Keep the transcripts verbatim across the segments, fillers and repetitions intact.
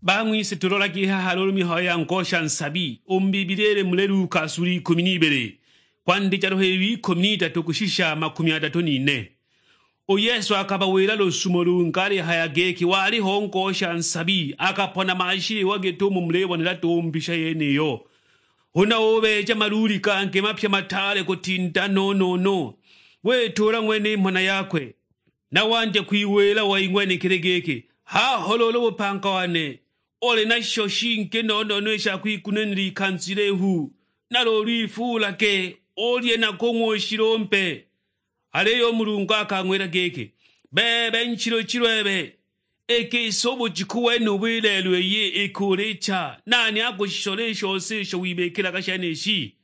Bang'wise, tulolagi i haha luulu mihayo ya ngosha nsabi u mu Bibilia ili muli Luka sula ikumi n'ibili, kwandija luhililo ikumi n'idatu kushisha makumi adatu n'ine. U Yesu akabawila lusumo lungi alihaya giki, waliho ngosha nsabi akapona mashiliwa git'umo mulibonela duhu mbisha yeniyo. Huna ubeeja maluuli gangi mapya mataale kutinda no-no-no, wituula ng'wene i mhana yakwe. Na wandya kwiwila wei ng'wenekili giki, haho luulu bupanga wane, uli na shisho shingi no-no-no i sha kwigunanila ikanza ilihu, na luulu ifuulage, ulye na kung'wa ushilumbe. Aliyo u Mulungu akang'wila giki, bebe nchilu-chilu ebe, i gisi u bujiku wenubu i lelo iyi iki ulicha, nani akushishola i shose isho wibikilaga shenishi?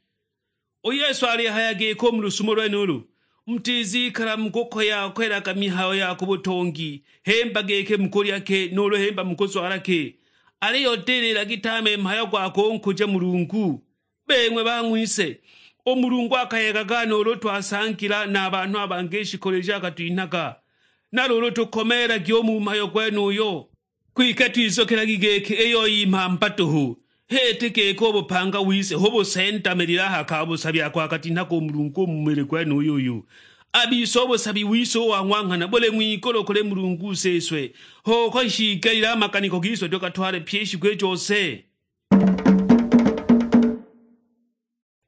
U Yesu alihaya giko u mu lusumo lwenulu, mutizikala mukukoya-koyelaga mihayo ya ku butongi, himba giki mukulya ki, nuulu himba mukuzwala ki, aliyo dililagi tame mhayo gwa kunkuja Mulungu. Bing'we bang'wise, u Mulungu akayegaga nuulu twasangila na a banhu a bangi i shikolo isho akatwinhaga, na luulu tukomeelagi u mu mhayo gwenuyo. Kwike twizuukilagi giki, iyo i mhamba duhu, h'iti giki u bupanga wise hu busendamilile a ha ka busabi ako akatinhaga u Mulungu u mu mili gwenuyu uyu. A bise u busabi wise u wa ng'wa nghana buli ng'wigulu kuli Mulungu u Siswe, h'uko shiigelile a maganiko gise tugatwale pyi i shiku i jose.